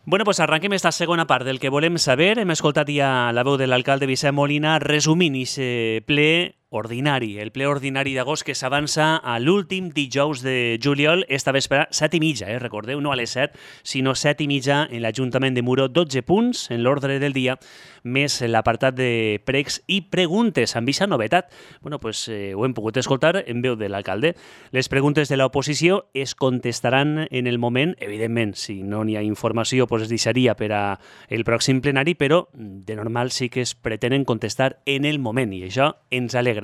Bueno, pues arranquem esta segona part del que volem saber. Hem escoltat ja la veu de l'alcalde Vicent Molina resumint aquest ple ordinari, el ple ordinari d'agost que s'avança a l'últim dijous de juliol, esta vespre, 7:30, recordeu, no a les 7, sinó 7:30 en l'Ajuntament de Muro, 12 punts en l'ordre del dia, més l'apartat de pregs i preguntes, amb aquesta novetat. Bueno, pues ho hem pogut escoltar en veu de l'alcalde. Les preguntes de l'oposició es contestaran en el moment, evidentment, si no n'hi ha informació, pues es deixaria per a el pròxim plenari, però de normal sí que es pretenen contestar en el moment, i això ens alegra.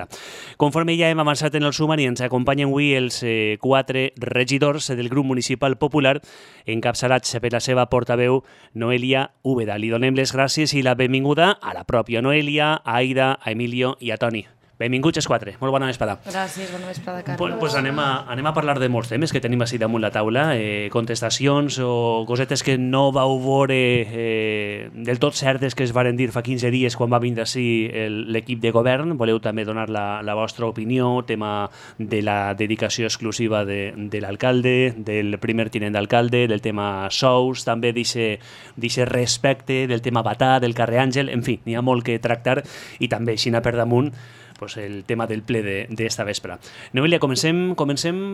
Conforme ja hem avançat en el sumari, ens acompanyen avui els 4 regidors del grup municipal popular, encapçalats per la seva portaveu Noelia Úbeda. Li donem les gràcies i la benvinguda a la pròpia Noelia, a Aida, a Emilio i a Toni. Benvinguts els 4. Molt bona vesprada. Gràcies, bona vesprada, Carlos. Pues anem a parlar de molts temes que tenim així damunt la taula, contestacions o cosetes que no vau veure del tot certes que es varen dir fa 15 dies quan va vindre així l'equip de govern. Voleu també donar la vostra opinió, tema de la dedicació exclusiva de l'alcalde, del primer tinent d'alcalde, del tema sous, també d'aquest respecte, del tema Batà, del carrer Àngel, en fi, n'hi ha molt que tractar, i també, xina per damunt, pues el tema del ple d'esta vespre. Noelia, comencem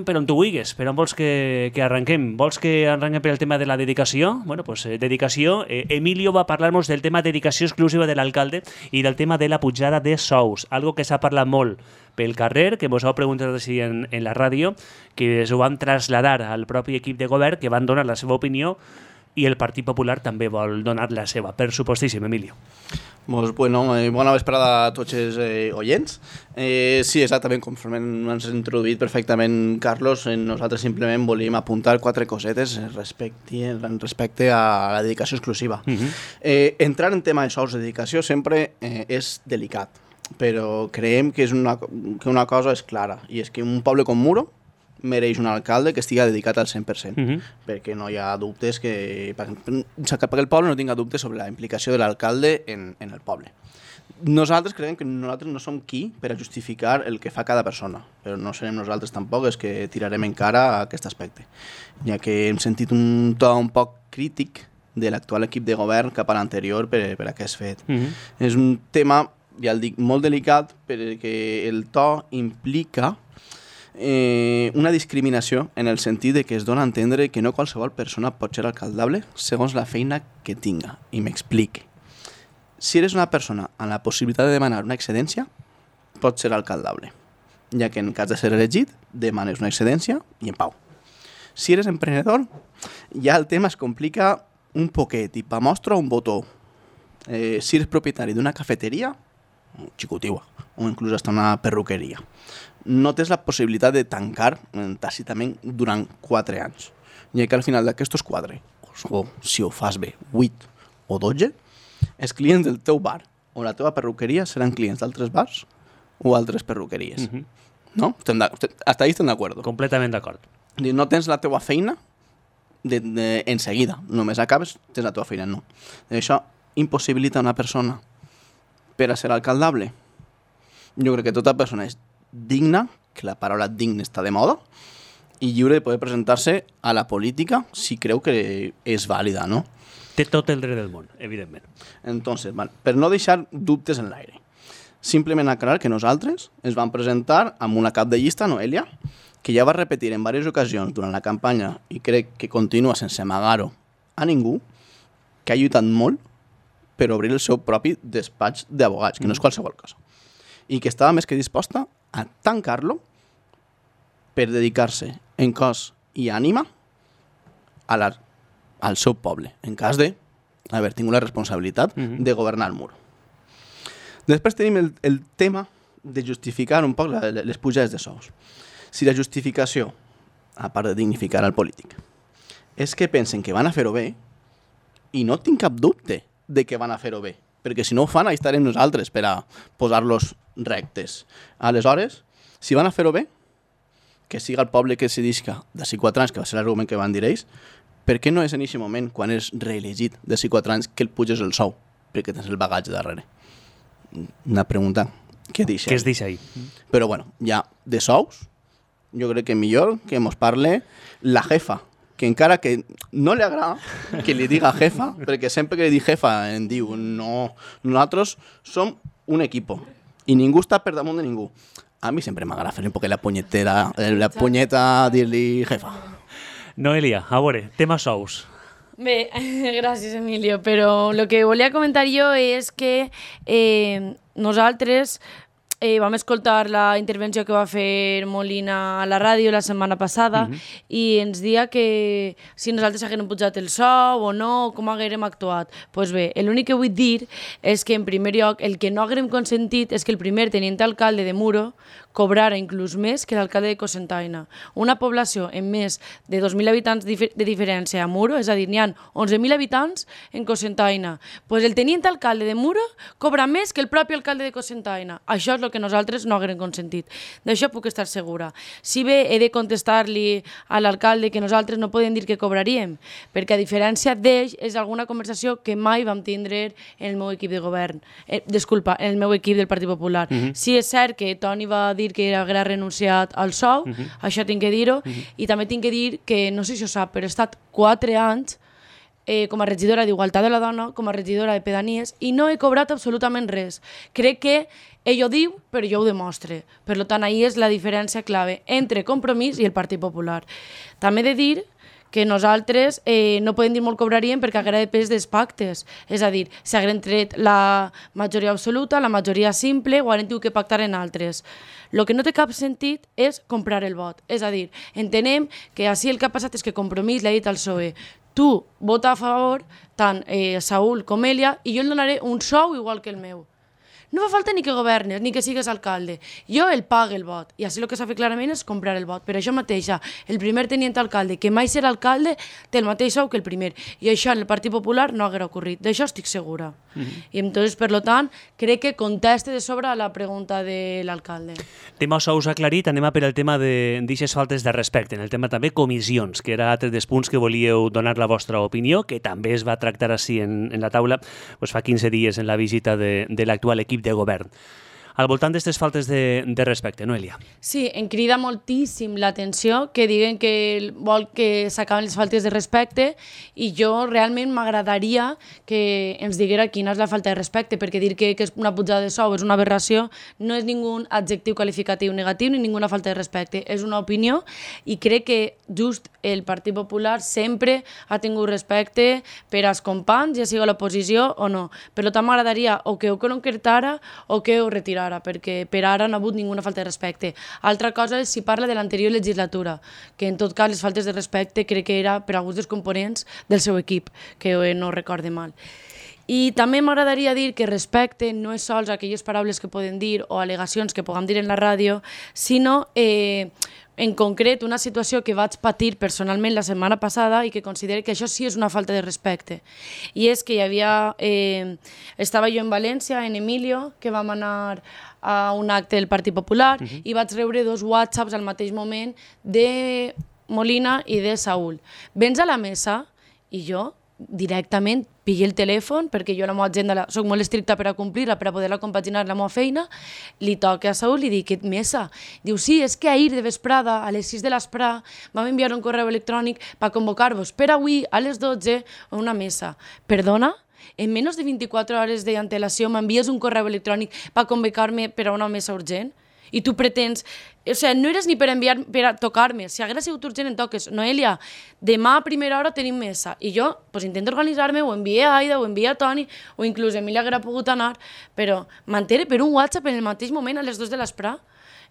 per on tu vulguis, per on vols que arranquem? Vols que arranquem per el tema de la dedicació? Bueno, pues dedicació. Emilio va parlar-nos del tema dedicació exclusiva de l'alcalde i del tema de la pujada de sous, algo que s'ha parlat molt pel carrer, que vos heu preguntat així en la ràdio, que s'ho van traslladar al propi equip de govern, que van donar la seva opinió, i el Partit Popular també vol donar la seva. Per supostíssim, Emilio. Doncs, bueno, bona vesprada a tots els oients. Sí, exactament, conforme ens has introduït perfectament, Carlos, nosaltres simplement volíem apuntar 4 cosetes respecte a la dedicació exclusiva. Entrar en tema de sous de dedicació sempre és delicat, però creiem que una cosa és clara, i és que un poble com Muro mereix un alcalde que estigui dedicat al 100%, perquè no hi ha dubtes perquè el poble no tinga dubtes sobre la implicació de l'alcalde en el poble. Nosaltres creiem que nosaltres no som qui per a justificar el que fa cada persona, però no serem nosaltres tampoc els que tirarem en cara a aquest aspecte, ja que hem sentit un to un poc crític de l'actual equip de govern cap a l'anterior per aquest fet. És un tema, ja el dic, molt delicat, perquè el to implica una discriminació en el sentit de que es dona a entendre que no qualsevol persona pot ser alcaldable segons la feina que tinga. I m'explique. Si eres una persona amb la possibilitat de demanar una excedència, pots ser alcaldable, ja que en cas de ser elegit, demanes una excedència i en pau. Si eres emprenedor, ja el tema es complica un poquet i pa mostra un botó. Si eres propietari d'una cafeteria, xicotiua, o inclús hasta una perruqueria, no tens la possibilitat de tancar tàcitament durant 4 anys. I que al final d'aquestos 4, o si ho fas bé, 8 o 12, els clients del teu bar o la teva perruqueria seran clients d'altres bars o altres perruqueries. No? Hasta ahí estem d'acord. Completament d'acord. No tens la teva feina en seguida. Només acabes, tens la teva feina, no. Això impossibilita una persona per a ser alcaldable. Jo crec que tota persona és digna, que la paraula digne està de moda, i lliure de poder presentar-se a la política si creu que és vàlida, no? Té tot el dret del món, evidentment. Entonces, per no deixar dubtes en l'aire, simplement aclarar que nosaltres ens vam presentar amb una cap de llista, Noelia, que ja va repetir en diverses ocasions durant la campanya, i crec que continua sense amagar-ho a ningú, que ha lluitat molt per obrir el seu propi despatx d'abogats, que no és qualsevol cosa, i que estava més que disposta a tancar-lo per dedicar-se en cos i ànima al seu poble, en cas d'haver tingut la responsabilitat de governar el Muro. Després tenim el tema de justificar un poc les pujades de sous. Si la justificació, a part de dignificar al polític, és que pensen que van a fer-ho bé, i no tinc cap dubte de que van a fer-ho bé, perquè si no ho fan, ahí estarem nosaltres per a posar-los rectes. Aleshores, si van a fer-ho bé, que siga el poble que decidisca d'ací 4 anys, que va ser l'argument que van dir ells, per què no és en aquest moment, quan és reelegit d'ací 4 anys, que el puges el sou? Perquè tens el bagatge darrere. Una pregunta que es deixa ahí. Però bueno, ja de sous, jo crec que millor que mos parle la jefa que encara que no li agrada que li diga jefa, perquè sempre que li dic jefa em diu no, nosaltres som un equipo i ningú està per damunt de ningú. A mi sempre m'agrada fer un poc la punyeta dir-li jefa. Noelia, a veure, tema sous. Bé, gràcies, Emilio, però el que volia comentar jo és que nosaltres vam escoltar la intervenció que va fer Molina a la ràdio la setmana passada i ens dia que si nosaltres haguérem pujat el sou o no, com haguérem actuat. Doncs bé, l'únic que vull dir és que, en primer lloc, el que no haguérem consentit és que el primer tenint alcalde de Muro cobrara inclús més que l'alcalde de Cocentaina. Una població amb més de 2.000 habitants de diferència a Muro, és a dir, n'hi ha 11.000 habitants en Cocentaina. Doncs el tenint alcalde de Muro cobra més que el propi alcalde de Cocentaina. Això és el que nosaltres no haguem consentit. D'això puc estar segura. Si bé he de contestar-li a l'alcalde que nosaltres no podem dir que cobraríem, perquè a diferència d'ells és alguna conversació que mai vam tindre en el meu equip de govern. Disculpa, en el meu equip del Partit Popular. Sí, és cert que Toni va dir que haguera renunciat al sou, això tinc que dir-ho, i també tinc que dir que, no sé si ho sap, però he estat 4 anys com a regidora d'Igualtat de la Dona, com a regidora de Pedanies, i no he cobrat absolutament res. Crec que ell ho diu, però jo ho demostre. Per tant, ahí és la diferència clave entre Compromís i el Partit Popular. També he de dir que nosaltres no podem dir molt cobraríem perquè haguera depès dels pactes. És a dir, si hagueren tret la majoria absoluta, la majoria simple, o hagueren tingut que pactar en altres. El que no té cap sentit és comprar el vot. És a dir, entenem que així el que ha passat és que Compromís li ha dit al PSOE tu vota a favor, tant Saúl com Elia, i jo el donaré un sou igual que el meu. No fa falta ni que governes, ni que sigues alcalde. Jo el pague el vot. I així el que s'ha fet clarament és comprar el vot. Per això mateixa, el primer tenint alcalde, que mai serà alcalde, té el mateix sou que el primer. I això en el Partit Popular no haguera ocorrit. D'això estic segura. I entonces, per tant, crec que conteste de sobre a la pregunta de l'alcalde. Tema sous aclarit, anem a per el tema d'aixes faltes de respecte, en el tema també comissions, que era altre dels punts que volíeu donar la vostra opinió, que també es va tractar així en la taula fa 15 dies en la visita de l'actual equip de govern. Al voltant d'aquestes faltes de respecte, Noelia? Sí, em crida moltíssim l'atenció que diguen que vol que s'acaben les faltes de respecte i jo realment m'agradaria que ens diguera quina és la falta de respecte, perquè dir que és una pujada de sou és una aberració no és ningú adjectiu qualificatiu negatiu ni ninguna falta de respecte, és una opinió i crec que just el Partit Popular sempre ha tingut respecte per als companys, ja sigui a l'oposició o no. Per tant, m'agradaria o que ho concretara o que ho retirara, perquè per ara no ha hagut ninguna falta de respecte. Altra cosa és si parla de l'anterior legislatura, que en tot cas les faltes de respecte crec que era per alguns dels components del seu equip, que no recorde mal. I també m'agradaria dir que respecte no és sols aquelles paraules que poden dir o al·legacions que puguem dir en la ràdio, sinó en concret una situació que vaig patir personalment la setmana passada i que considero que això sí és una falta de respecte. I és que estava jo en València, en Emilio, que vam anar a un acte del Partit Popular i vaig rebre 2 whatsapps al mateix moment de Molina i de Saúl. Vens a la mesa i jo directament pillo el telèfon, perquè jo la meva agenda soc molt estricta per a complir-la, per a poder-la compaginar la meva feina, li toque a Saúl i li dic, mesa? Diu, sí, és que ahir de vesprada, a les 6 de l'esprà, vam enviar un correu electrònic per convocar-vos per avui a les 12 a una mesa. Perdona? En menys de 24 hores d'antelació m'envies un correu electrònic per convocar-me per a una mesa urgent? I tu pretens... O sigui, no eres ni per enviar per a tocar-me. Si hagués sigut urgent, en toques. Noelia, demà a primera hora tenim mesa. I jo intento organitzar-me, o envié a Aida, o envié a Toni, o inclús Emília haguera pogut anar, però m'entere per un WhatsApp en el mateix moment a les 2 de l'esprà.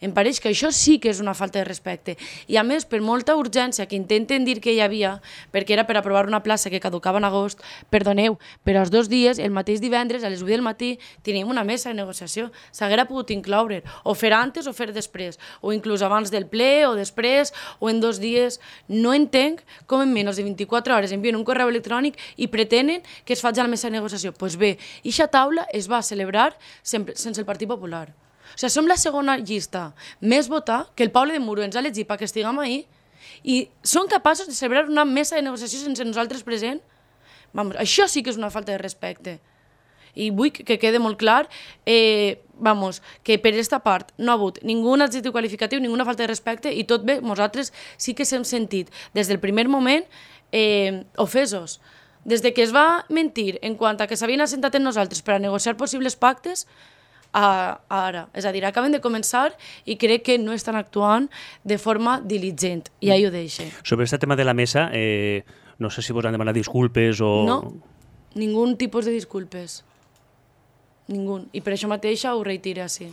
Em pareix que això sí que és una falta de respecte. I a més, per molta urgència que intenten dir que hi havia, perquè era per aprovar una plaça que caducava en agost, perdoneu, però als 2 dies, el mateix divendres, a les 8 del matí, tenim una mesa de negociació. S'haguera pogut incloure, o fer antes o fer després, o inclús abans del ple o després, o en 2 dies. No entenc com en menys de 24 hores envien un correu electrònic i pretenen que es faci a la mesa de negociació. Doncs bé, aquesta taula es va celebrar sense el Partit Popular. O sigui, som la segona llista més votada que el poble de Muro ens ha elegit perquè estiguem ahí i són capaços de celebrar una mesa de negociació sense nosaltres present? Vamos, això sí que és una falta de respecte. I vull que quede molt clar que per aquesta part no ha hagut ningú adjectiu qualificatiu, ninguna falta de respecte i tot bé, nosaltres sí que s'hem sentit des del primer moment ofesos. Des de que es va mentir en quant a que s'havien assentat en nosaltres per a negociar possibles pactes a ara. És a dir, acaben de començar i crec que no estan actuant de forma diligent. I ahí ho deixo. Sobre aquest tema de la mesa, no sé si vos han demanat disculpes o... No, ningú tipus de disculpes. Ningú. I per això mateixa ho reitero així.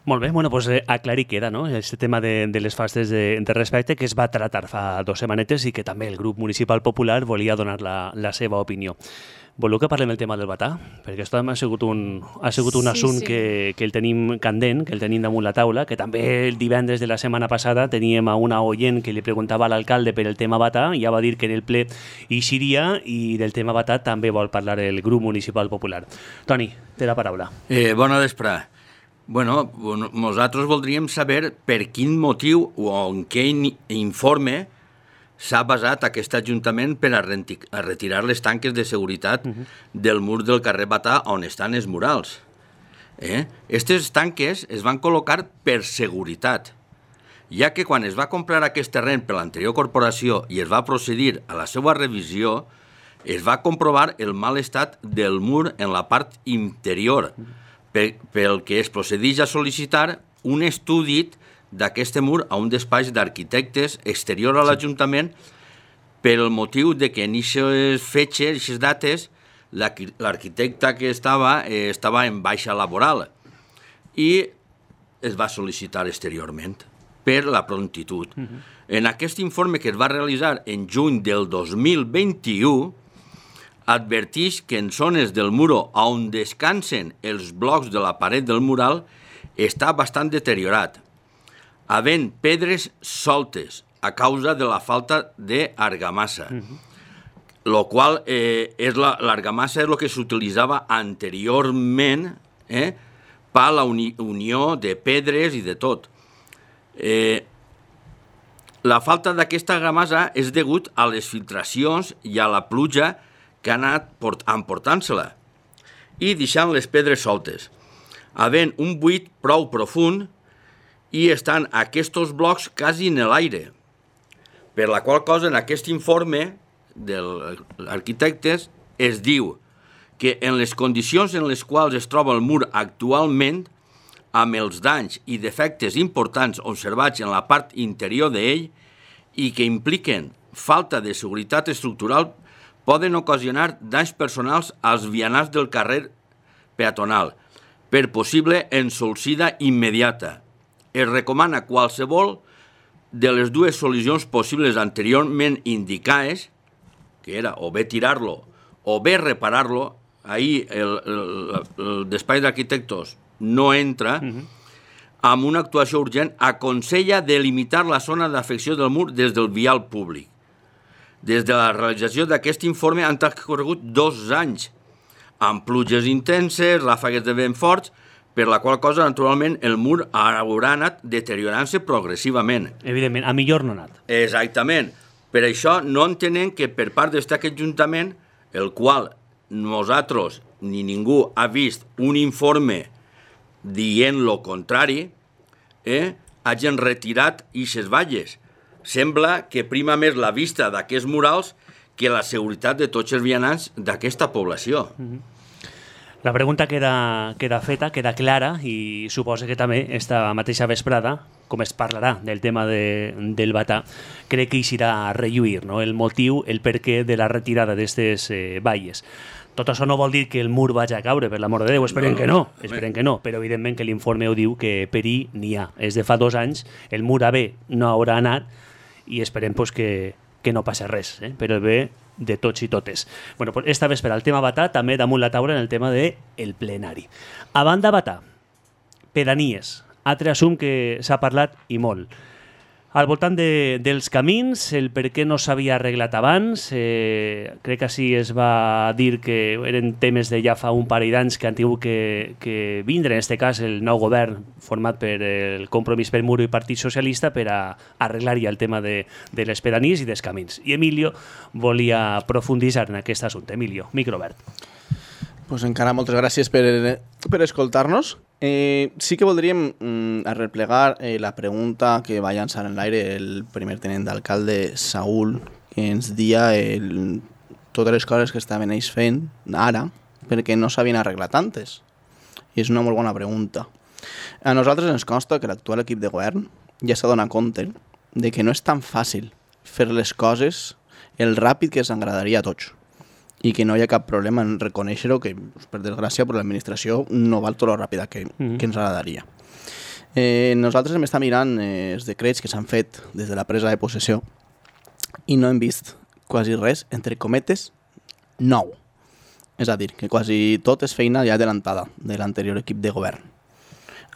Molt bé, bueno, pues aclarir queda, no?, este tema de les faltes de respecte que es va tratar fa 2 setmanetes i que també el grup municipal popular volia donar la seva opinió. Voleu que parlem del tema del batà? Perquè això ha sigut un assunt que el tenim candent, que el tenim damunt la taula, que també el divendres de la setmana passada teníem a una oient que li preguntava a l'alcalde per el tema batà i ja va dir que en el ple hi seria i del tema batà també vol parlar el grup municipal popular. Toni, té la paraula. Bona vesprada. Bueno, nosaltres voldríem saber per quin motiu o en què informe s'ha basat aquest Ajuntament per a retirar les tanques de seguretat del mur del carrer Batà on estan els murals. Aquestes tanques es van col·locar per seguretat, ja que quan es va comprar aquest terreny per l'anterior corporació i es va procedir a la seva revisió, es va comprovar el mal estat del mur en la part interior, pel que es procedeix a sol·licitar un estudi d'aquest mur a un despatx d'arquitectes exterior a l'Ajuntament pel motiu de que en aquestes fetges, en aquestes dates, l'arquitecte que estava en baixa laboral i es va sol·licitar exteriorment per la prontitud. En aquest informe que es va realitzar en juny del 2021 adverteix que en zones del muro on descansen els blocs de la paret del mural està bastant deteriorat, havent pedres soltes a causa de la falta d'argamassa, lo qual l'argamassa és el que s'utilitzava anteriorment per a la unió de pedres i de tot. La falta d'aquesta argamassa és degut a les filtracions i a la pluja que ha anat emportant-se-la i deixant les pedres soltes, havent un buit prou profund i estan aquests blocs quasi en l'aire, per la qual cosa en aquest informe dels arquitectes es diu que en les condicions en les quals es troba el mur actualment, amb els danys i defectes importants observats en la part interior d'ell i que impliquen falta de seguretat estructural, poden ocasionar danys personals als vianants del carrer peatonal per possible ensolsida immediata. Es recomana qualsevol de les dues solucions possibles anteriorment indicades, que era o bé tirar-lo o bé reparar-lo. Ahir el despatx d'arquitectos no entra, amb una actuació urgent aconsella delimitar la zona d'afecció del mur des del vial públic. Des de la realització d'aquest informe han transcorregut 2 anys, amb pluges intenses, ràfegues de vent forts, per la qual cosa, naturalment, el mur haurà anat deteriorant-se progressivament. Evidentment, a millor no ha anat. Exactament. Per això no entenem que per part d'aquest Ajuntament, el qual nosaltres ni ningú ha vist un informe dient lo contrari, hagin retirat aquestes valles. Sembla que prima més la vista d'aquests murals que la seguretat de tots els vianants d'aquesta població. La pregunta queda feta, queda clara i suposa que també esta mateixa vesprada, com es parlarà del tema del batà, crec que hi serà a relluir, no? El motiu, el perquè de la retirada d'aquestes valles. Tot això no vol dir que el mur vagi a caure, per l'amor de Déu, esperem que no, però evidentment que l'informe ho diu que perir n'hi ha. És de fa 2 anys, el mur a bé no haurà anat i esperem que no passi res, per el bé de tots i totes. Bueno, pues esta vespre el tema batà, també damunt la taula en el tema del plenari. A banda batà, pedanies, altre assumpte que s'ha parlat i molt. Al voltant dels camins, el per què no s'havia arreglat abans, crec que així es va dir que eren temes de ja fa un parell d'anys que han tingut que vindre, en aquest cas el nou govern format per el Compromís pel Muro i Partit Socialista per a arreglar ja el tema de les pedanies i dels camins. I Emilio volia profunditzar en aquest assumpte. Emilio, micro obert. Pues encara moltes gràcies per escoltar-nos. Sí que voldríem arreplegar la pregunta que va llançar en l'aire el primer tenent d'alcalde Saúl, que ens dia totes les coses que estaven ells fent ara perquè no s'havien arreglat antes. I és una molt bona pregunta. A nosaltres ens consta que l'actual equip de govern ja s'ha donat compte de que no és tan fàcil fer les coses el ràpid que ens agradaria a tots i que no hi ha cap problema en reconèixer-ho, que per desgràcia per l'administració no val tot lo ràpida que ens agradaria. Nosaltres hem estat mirant els decrets que s'han fet des de la presa de possessió i no hem vist quasi res, entre cometes, nou. És a dir, que quasi tot és feina ja adelantada de l'anterior equip de govern.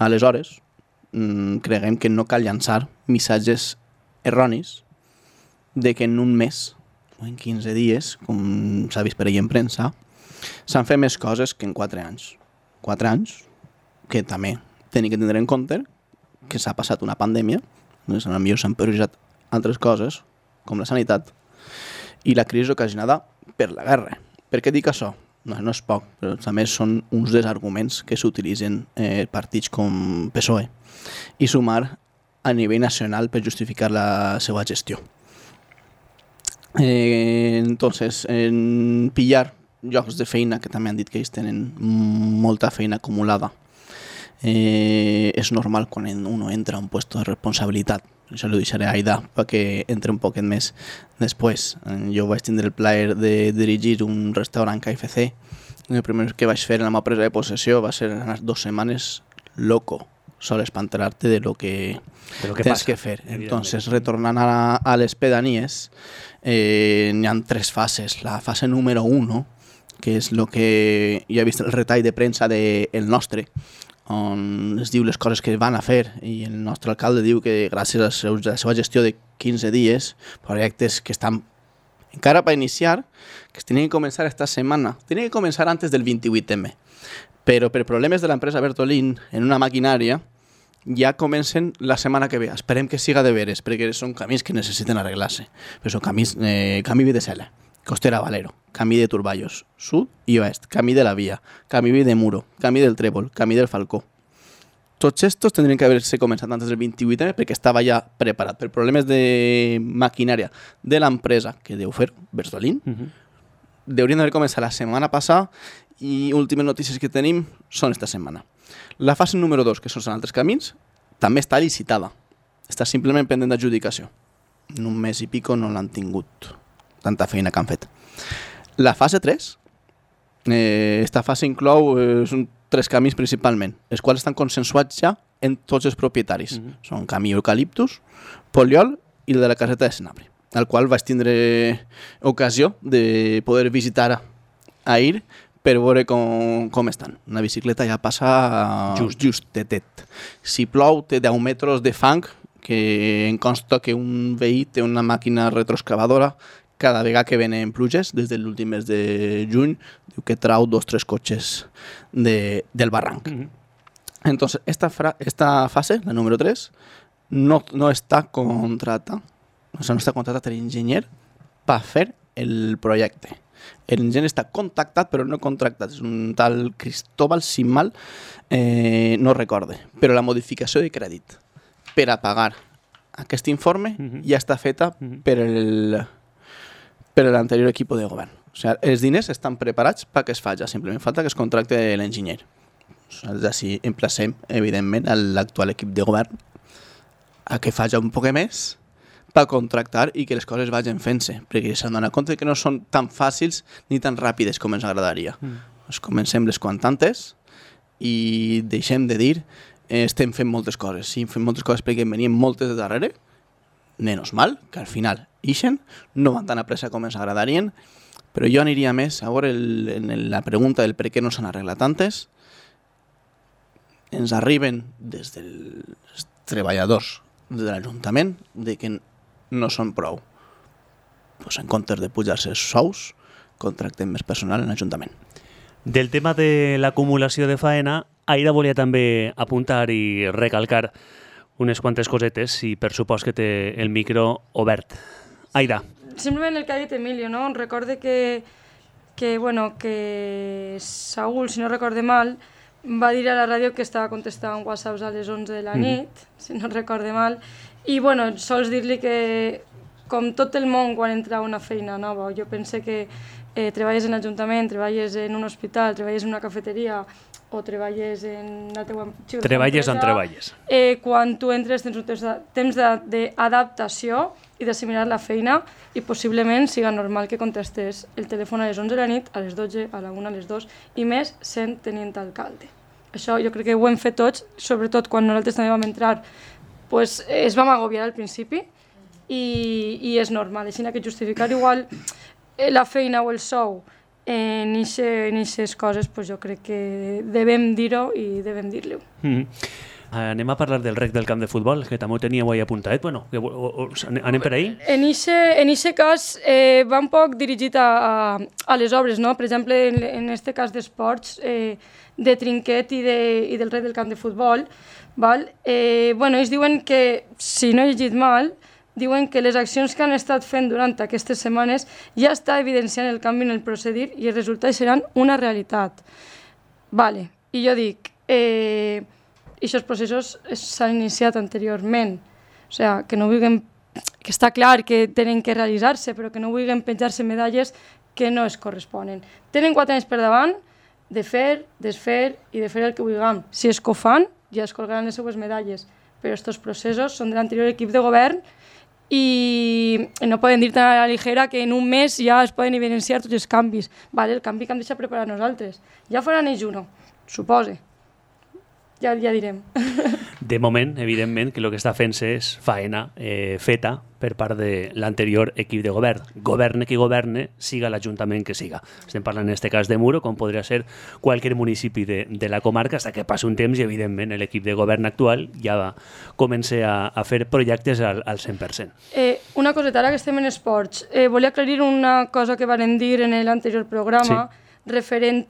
Aleshores, creguem que no cal llançar missatges erronis de que en un mes o en 15 dies, com s'ha vist per ahir en premsa, s'han fet més coses que en 4 anys. 4 anys que també tenim que tindre en compte que s'ha passat una pandèmia, doncs potser s'han priorit altres coses, com la sanitat, i la crisi ocasionada per la guerra. Per què dic això? No és poc, però també són uns dels arguments que s'utilitzen partits com PSOE i sumar a nivell nacional per justificar la seva gestió. Entonces, en pillar llocs de feina, que també han dit que ells tenen molta feina acumulada, és normal quan uno entra a un puesto de responsabilitat. Això ho deixaré a Aida perquè entre un poquet més després. Jo vaig tindre el plaer de dirigir un restaurant KFC. El primer que vaig fer en la meva presa de possessió va ser anar 2 setmanes loco, solo espantar-te de lo que tens que fer. Entonces, retornant a les pedanies, n'hi ha 3 fases. La fase número 1, que és el que ja he vist el retall de premsa del nostre, on es diu les coses que van a fer, i el nostre alcalde diu que gràcies a la seva gestió de 15 dies, projectes que estan encara per iniciar, que es tenien que començar esta setmana, tenien que començar antes del 28M, però per problemes de l'empresa Bertolín en una maquinària ja comencen la setmana que ve. Esperem que siga de veres, perquè són camins que necessiten arreglar-se, però són camins, camí de Sela, Costera Valero, camí de Turballos, sud i oest, camí de la Via, camí de Muro, camí del Trèvol, camí del Falcó. Tots estos tindrien que haver-se començat antes del 28M perquè estava ja preparat. Per problemes de maquinària de l'empresa que deu fer, Bertolín, deurien d'haver començat la setmana passada i últimes notícies que tenim són esta setmana. La fase número 2, que són altres camins, també està licitada. Està simplement pendent d'adjudicació. En un mes i pico no l'han tingut. Tanta feina que han fet. La fase 3, esta fase inclou 3 camins principalment, els quals estan consensuats ja en tots els propietaris. Són camí Eucaliptus, Poliol i el de la caseta de Senabre, al qual vaig tindre ocasió de poder visitar ahir per veure com estan. Una bicicleta ja passa justetet. Si plou, té 10 metres de fang, que em consta que un veí té una màquina retroexcavadora cada vegada que venen pluges, des de l'últim mes de juny, diu que trau 2 o 3 cotxes del barranc. Entonces, esta fase, la número 3, no està contratada, o sigui, no està contratat l'enginyer per fer el projecte. L'enginyer està contactat, però no contractat. És un tal Cristóbal, si mal no recorde. Però la modificació de crèdit per a pagar aquest informe ja està feta per l'anterior equip de govern. O sigui, els diners estan preparats perquè es faci, simplement falta que es contracte l'enginyer. Així emplacem, evidentment, l'actual equip de govern a que faci un poc més per contractar i que les coses vagin fent-se, perquè s'han donat compte que no són tan fàcils ni tan ràpides com ens agradaria. Comencem les quantantes i deixem de dir estem fent moltes coses. Sí, fem moltes coses perquè en venien moltes de darrere, menos mal, que al final ixen, no van tan a pressa com ens agradarien, però jo aniria més a veure en la pregunta del per què no s'han arreglat tantes. Ens arriben des dels treballadors de l'Ajuntament de que no són prou. Pues en comptes de pujar-se els sous, contractem més personal en l'Ajuntament. Del tema de l'acumulació de faena, Aida volia també apuntar i recalcar unes quantes cosetes i per supost que té el micro obert. Aida. Simplement el que ha dit Emilio, no? Recorde que que Saúl, si no recorde mal, va dir a la ràdio que estava contestant whatsapps a les 11 de la nit, si no recorde mal, i sols dir-li que, com tot el món quan entra a una feina nova, jo pense que treballes en l'Ajuntament, treballes en un hospital, treballes en una cafeteria o treballes en la teua empresa... Treballes on treballes. Quan tu entres tens un temps d'adaptació i d'assimilar la feina i possiblement siga normal que contestes el telèfon a les 11 de la nit, a les 12, a la 1, a les 2 i més sent tenint alcalde. Això jo crec que ho hem fet tots, sobretot quan nosaltres també vam entrar, es vam agobiar al principi i és normal. Així que justificar igual la feina o el sou en aquestes coses, jo crec que devem dir-ho i devem dir-li-ho. Anem a parlar del rec del camp de futbol, que també ho teníeu ahí apuntat. Bueno, anem per ahí? En aquest cas va un poc dirigit a les obres, no? Per exemple, en aquest cas d'esports, de trinquet i del rec del camp de futbol, ells diuen que, si no he llegit mal, diuen que les accions que han estat fent durant aquestes setmanes ja està evidenciant el canvi en el procedir i els resultats seran una realitat. I jo dic, aquests processos s'han iniciat anteriorment, o sigui, que està clar que tenen que realitzar-se, però que no vulguin penjar-se medalles que no es corresponen. Tenen 4 anys per davant de fer, desfer i de fer el que vulguem. Si es que ho fan, ja es colgaran les seues medalles, però aquests processos són de l'anterior equip de govern i no poden dir tan a la ligera que en un mes ja es poden evidenciar tots els canvis. El canvi que hem deixat preparar nosaltres. Ja faran ells uno, suposa. Ja direm. De moment, evidentment, que el que està fent-se és faena feta per part de l'anterior equip de govern. Governe qui governe, siga l'Ajuntament que siga. Estem parlant en aquest cas de Muro, com podria ser qualsevol municipi de la comarca, fins que passi un temps i, evidentment, l'equip de govern actual ja va començar a fer projectes al 100%. Una coseta, ara que estem en esports, volia aclarir una cosa que van dir en l'anterior programa, referent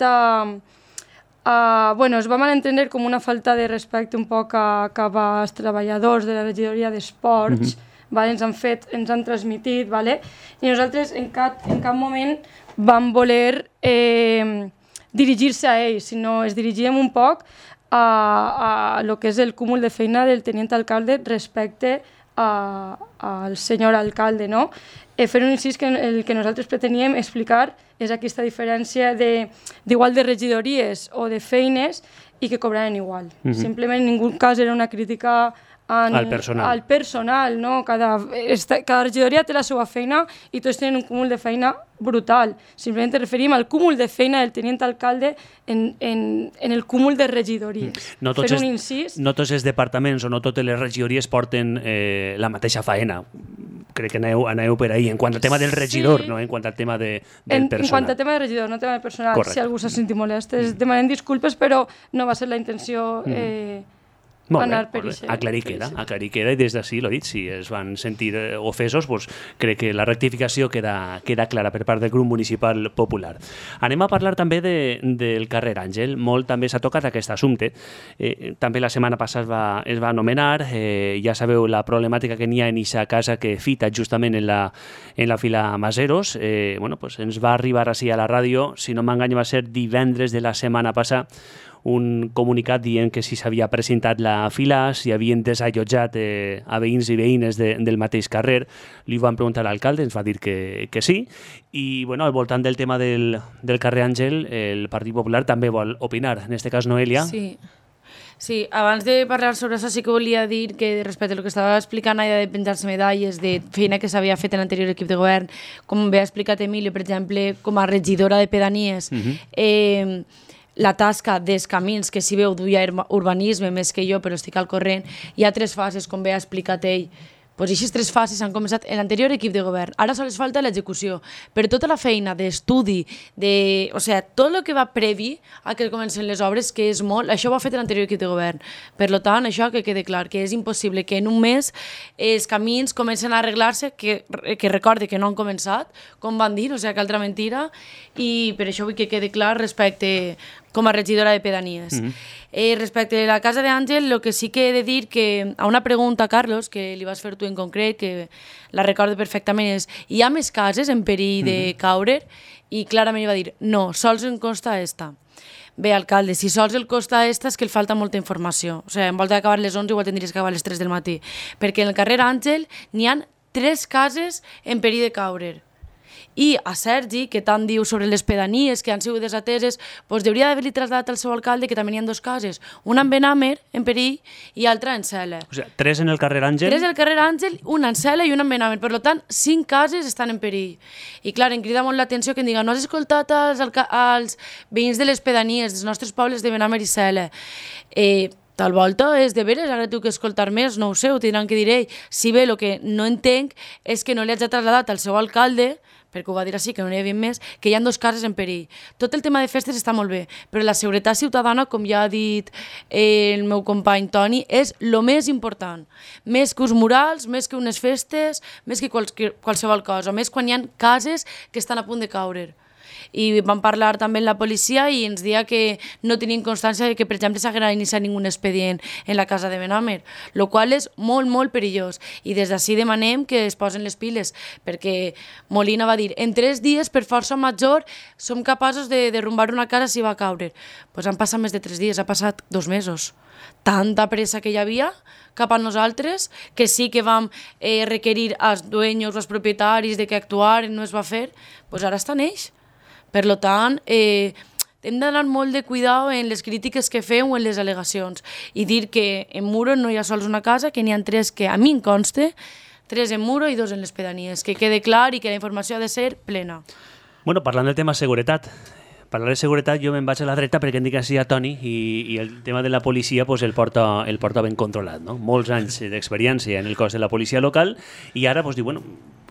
es va malentendre com una falta de respecte un poc cap als treballadors de la regidoria d'esports, ens han transmitit, i nosaltres en cap moment vam voler dirigir-se a ells, sinó es dirigíem un poc a lo que és el cúmul de feina del tenint alcalde respecte al senyor alcalde, no? Fer un incís que el que nosaltres preteníem explicar és aquesta diferència d'igual de regidories o de feines i que cobraven igual. Simplement en ningú cas era una crítica al personal, no? Cada regidoria té la seva feina i tots tenen un cúmul de feina brutal. Simplement referim al cúmul de feina del tenint alcalde en el cúmul de regidories. No tots els departaments o no totes les regidories porten la mateixa faena. Crec que aneu per ahí. En quant al tema del regidor, no en quant al tema del personal. En quant al tema del regidor, no al tema del personal. Correcte. Si algú s'ha sentit molest, demanem disculpes, però no va ser la intenció anar per això. Aclarir queda, i des d'ací, l'ho dit, si es van sentir ofesos, crec que la rectificació queda clara per part del grup municipal popular. Anem a parlar també del carrer Àngel. Molt també s'ha tocat aquest assumpte. També la setmana passada es va anomenar, ja sabeu la problemàtica que n'hi ha en aquesta casa que fita justament en la fila Maseros. Ens va arribar així a la ràdio, si no m'enganyo va ser divendres de la setmana passada, un comunicat dient que si s'havia presentat la fila, si havien desallotjat a veïns i veïnes del mateix carrer. Li van preguntar a l'alcalde, ens va dir que sí. I al voltant del tema del carrer Àngel, el Partit Popular també vol opinar. En aquest cas, Noelia. Sí, abans de parlar sobre això sí que volia dir que respecte al que estava explicant allà de penjar-se medalles, de feina que s'havia fet en l'anterior equip de govern, com bé ha explicat Emilio, per exemple, com a regidora de pedanies, la tasca dels camins, que si veu duia urbanisme més que jo, però estic al corrent, hi ha 3 fases, com bé ha explicat ell. Aquestes 3 fases han començat en l'anterior equip de govern. Ara sols falta l'execució. Per tota la feina d'estudi, tot el que va previ a que comencen les obres, que és molt, això ho ha fet l'anterior equip de govern. Per tant, això que quede clar, que és impossible que en un mes els camins comencen a arreglar-se, que recorde que no han començat, com van dir, que altra mentira, i per això vull que quede clar respecte com a regidora de pedanies. Respecte a la casa d'Àngel, el que sí que he de dir que a una pregunta, Carlos, que li vas fer tu en concret, que la recordo perfectament, és hi ha més cases en perill de caure? I clarament va dir, no, sols en consta esta. Bé, alcalde, si sols el costa esta és que el falta molta informació. O sigui, en volta d'acabar les 11 igual tindries que acabar les 3 del matí. Perquè en el carrer Àngel n'hi ha 3 cases en perill de caure. I a Sergi, que tant diu sobre les pedanies que han sigut desateses, doncs hauria d'haver-li traslladat al seu alcalde que també n'hi ha 2 cases. Una en Benàmer, en perill, i altra en Cela. O sigui, 3 en el carrer Àngel. 3 al carrer Àngel, una en Cela i una en Benàmer. Per tant, 5 cases estan en perill. I clar, em crida molt l'atenció que em diguen no has escoltat als veïns de les pedanies dels nostres pobles de Benàmer i Cela. Tal volta és de veres, ara tu que escoltar més, no ho sé, ho tindran que dir ell. Si bé el que no entenc és que no li hagi traslladat al seu alcalde, perquè ho va dir així, que no n'hi havia més, que hi ha 2 cases en perill. Tot el tema de festes està molt bé, però la seguretat ciutadana, com ja ha dit el meu company Toni, és el més important. Més que uns murals, més que unes festes, més que qualsevol cosa, més quan hi ha cases que estan a punt de caure. I vam parlar també amb la policia i ens deia que no tenien constància de que, per exemple, s'haguera iniciat ningú expedient en la casa de Benàmer, el qual és molt, molt perillós. I des d'ací demanem que es posen les piles, perquè Molina va dir en 3 dies, per força major, som capaços de derrumbar una casa si va caure. Doncs han passat més de 3 dies, ha passat 2 mesos. Tanta pressa que hi havia cap a nosaltres, que sí que vam requerir als dueños, als propietaris, de que actuaren, no es va fer, doncs ara estan ells. Per tant, hem d'anar molt de cuidado en les crítiques que fem o en les al·legacions i dir que en Muro no hi ha sols una casa, que n'hi ha 3 que a mi em conste, 3 en Muro i 2 en les pedanies, que quede clar i que la informació ha de ser plena. Bueno, parlant del tema seguretat, parlar de seguretat jo me'n vaig a la dreta perquè em dic així a Toni i el tema de la policia pues, el porta ben controlat, no? Molts anys d'experiència en el cos de la policia local i ara pues, diu, bueno,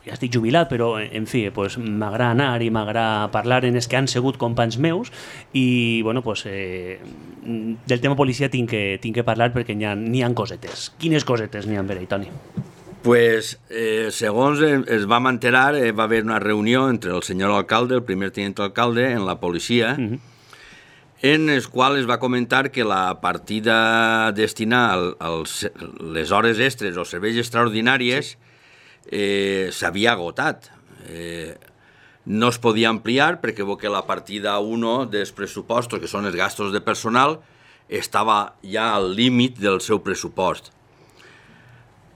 ja estic jubilat, però, en fi, pues, m'agrada anar i m'agrada parlar en els que han sigut companys meus i, bueno, pues, del tema policia tinc que parlar perquè n'hi ha cosetes. Quines cosetes n'hi ha per ahí, Toni? Pues, segons es vam enterar, va haver una reunió entre el senyor alcalde, el primer tinent alcalde, en la policia, en el qual es va comentar que la partida destinada a les hores extres o serveis extraordinàries s'havia agotat. No es podia ampliar perquè que la partida 1 dels pressupostos, que són els gastos de personal, estava ja al límit del seu pressupost.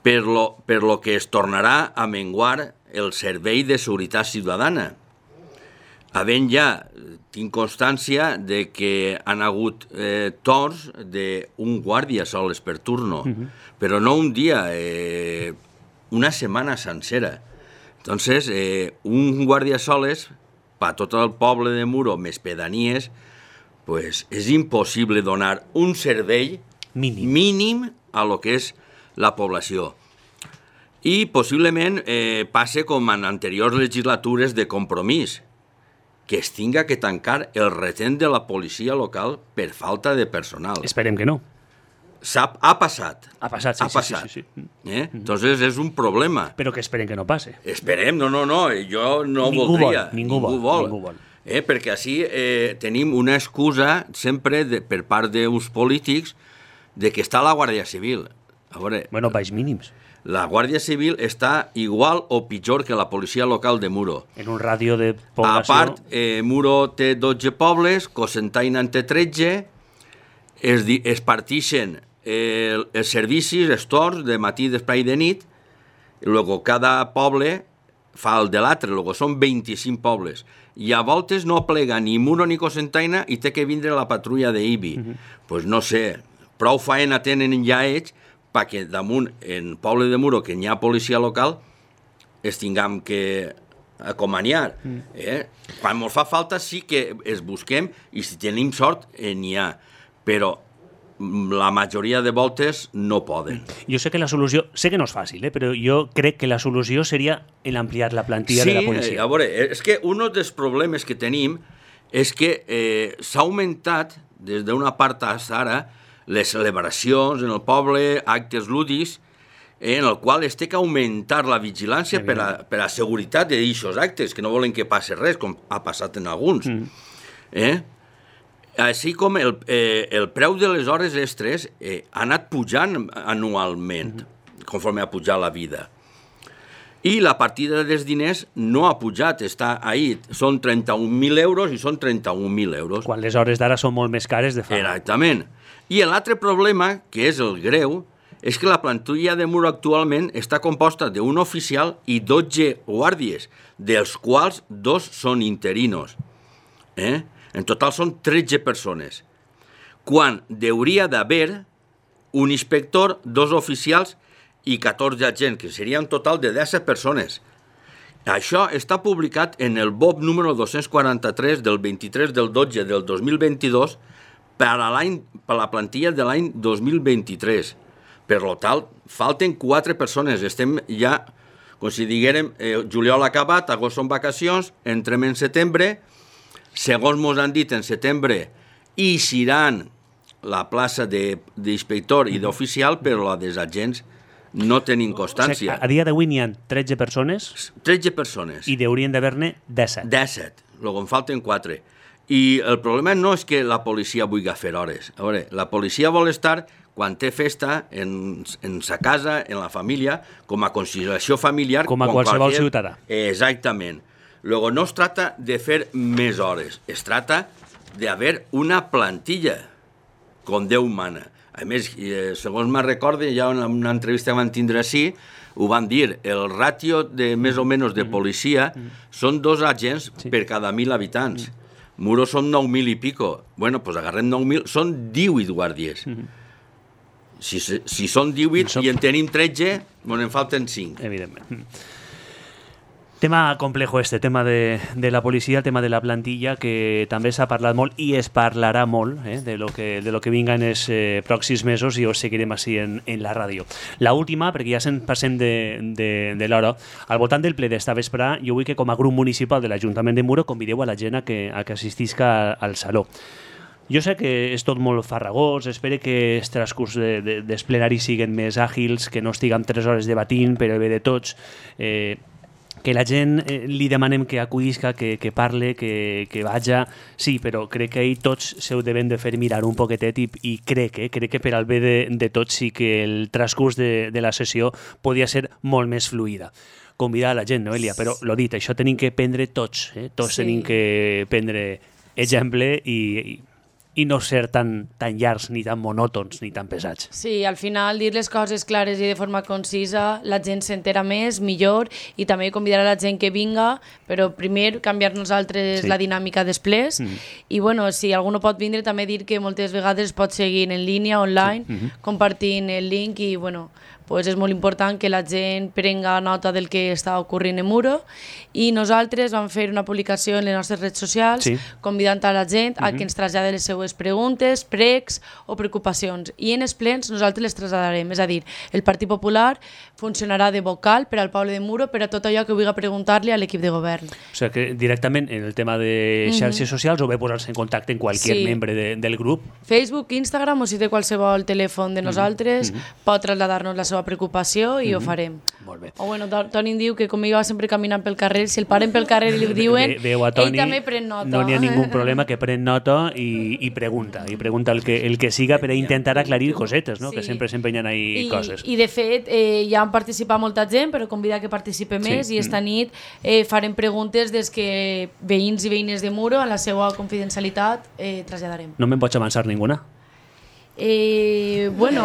Per lo que es tornarà a menguar el servei de seguretat ciutadana. Havent ja, tinc constància de que han hagut torns d'un guàrdia sols per turno, però no un dia, una setmana sencera. Entonces, un guàrdia soles, per tot el poble de Muro, més pedanies, pues és impossible donar un servei mínim a lo que és la població. I possiblement passe com en anteriors legislatures de Compromís, que es tinga que tancar el retent de la policia local per falta de personal. Esperem que no. Ha passat. Ha passat, sí. Entonces és un problema. Però que esperem que no passe. Esperem, no, jo no voldria. Ningú vol. Perquè així tenim una excusa sempre per part d'uns polítics de que està la Guàrdia Civil. A veure, bueno, baix mínims. La Guàrdia Civil està igual o pitjor que la policia local de Muro. En un ràdio de població... A part, Muro té 12 pobles, Cocentaina en té 13, es partixen els servicis, els torns, de matí, d'espai i de nit, i luego cada poble fa el de l'altre, luego són 25 pobles. I a voltes no plega ni Muro ni Cocentaina i té que vindre la patrulla d'IBI. Pues no sé, prou faena tenen ja ells perquè damunt, en poble de Muro, que n'hi ha policia local, es tinguem que acomaniar. Quan ens fa falta sí que es busquem i si tenim sort n'hi ha, però la majoria de voltes no poden. Jo sé que la solució, sé que no és fàcil, però jo crec que la solució seria ampliar la plantilla de la policia. Sí, a veure, és que un dels problemes que tenim és que s'ha augmentat des d'una part fins ara les celebracions en el poble, actes lúdics, en el qual es té que augmentar la vigilància per a seguretat d'aquests actes, que no volen que passi res, com ha passat en alguns. Així com el preu de les hores extres ha anat pujant anualment, conforme ha pujat la vida. I la partida dels diners no ha pujat, està ahí. Són 31.000 euros i són 31.000 euros. Quan les hores d'ara són molt més cares de fa. Exactament. I l'altre problema, que és el greu, és que la plantilla de Muro actualment està composta d'un oficial i 12 guàrdies, dels quals 2 són interinos. En total són 13 persones. Quan hauria d'haver un inspector, 2 oficials i 14 agents, que seria un total de 10 persones. Això està publicat en el BOP número 243 del 23 del 12 del 2022 per a la plantilla de l'any 2023. Per tant, falten 4 persones. Estem ja, com si diguérem, juliol acabat, agost són vacacions, entrem en setembre, segons ens han dit, en setembre eixiran la plaça d'inspector i d'oficial, però la dels agents no tenim constància. A dia d'avui n'hi ha 13 persones 13 persones. i haurien d'haver-ne 17. 17, luego en falten 4. I el problema no és que la policia vulgui fer hores. A veure, la policia vol estar quan té festa en sa casa, en la família, com a conciliació familiar. Com a qualsevol ciutadà. Exactament. Luego no es trata de fer més hores, es trata d'haver una plantilla, com Déu mana. A més, segons me'n recorde, ja en una entrevista que van tindre així, ho van dir, el ràtio de més o menys de policia són 2 agents per cada 1.000 habitants. Muro són 9.000 i pico. Bueno, doncs agarrem 9.000, són 18 guàrdies. Si són 18 i en tenim 13, bueno, en falten 5. Evidentment. Tema complejo tema de la policia, el tema de la plantilla, que també s'ha parlat molt i es parlarà molt de lo que vinga en els pròxims mesos i us seguirem així en la ràdio. La última, perquè ja passem de l'hora, al voltant del ple d'esta vesprà, jo vull que com a grup municipal de l'Ajuntament de Muro convideu a la gent a que assistisca al saló. Jo sé que és tot molt farragós, espero que els transcurs dels plenaris siguin més àgils, que no estiguem 3 hores debatint per el bé de tots, que la gent li demanem que acudisca, que parle, que vaja, sí, però crec que ahir tots s'ho devem de fer mirar un poquetet i crec que per al bé de tots sí que el transcurs de la sessió podia ser molt més fluida. Convidar a la gent, Noelia, però lo dit, això tenim que prendre tots, tots tenim que prendre exemple i no ser tan llargs, ni tan monòtons, ni tan pesats. Sí, al final dir les coses clares i de forma concisa, la gent s'entera més, millor, i també convidar a la gent que vinga, però primer canviar nosaltres la dinàmica després, i bueno, si algú no pot vindre, també dir que moltes vegades pot seguir en línia, online, compartint el link, i bueno, pues és molt important que la gent prenga nota del que està ocorrent en Muro, i nosaltres vam fer una publicació en les nostres redes socials convidant a la gent a que ens trasllade les seues preguntes, pregs o preocupacions, i en els plens nosaltres les traslladarem. És a dir, el Partit Popular funcionarà de vocal per al poble de Muro per a tot allò que vulgui preguntar-li a l'equip de govern. O sigui que directament en el tema de xarxes socials o bé posar-se en contacte amb qualsevol membre del grup. Facebook, Instagram, o si té qualsevol telèfon de nosaltres, pot traslladar-nos la seva preocupació i ho farem. Molt bé. O bueno, Toni em diu que com jo va sempre caminant pel carrer, si el paren pel carrer i li ho diuen, ell també pren nota. No n'hi ha ningú problema, que pren nota i pregunta el que siga per a intentar aclarir cosetes, no? Que sempre s'empenyen ahí coses. I de fet, ja han participat molta gent, però convida que participe més, i esta nit farem preguntes des que veïns i veïnes de Muro, en la seva confidencialitat, traslladarem. No me'n pots avançar ninguna? Bueno,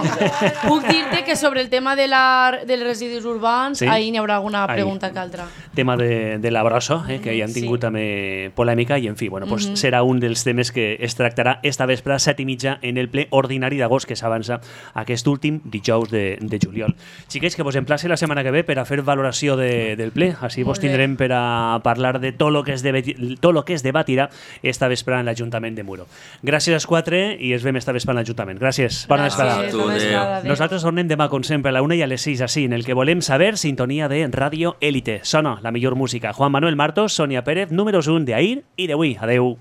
puc dir-te que sobre el tema dels residus urbans ahir n'hi haurà alguna pregunta que altra. Tema de la brossa, que hi han tingut també polèmica, i en fi, bueno, pues serà un dels temes que es tractarà esta vespre a 7:30 en el ple ordinari d'agost que s'avança aquest últim dijous de juliol. Xiquets, que vos emplace la setmana que ve per a fer valoració del ple, així vos tindrem per a parlar de tot el que es debatirà esta vespre en l'Ajuntament de Muro. Gràcies als 4 i es veiem esta vespre en l'Ajuntament. Gràcies. Bona vesprada. Nosaltres tornem demà, com sempre, a la 1 i a les 6, així, en el que volem saber, sintonia de Ràdio Élite. Sona la millor música. Juan Manuel Martos, Sònia Pérez, números 1 d'ahir i d'avui. Adeu.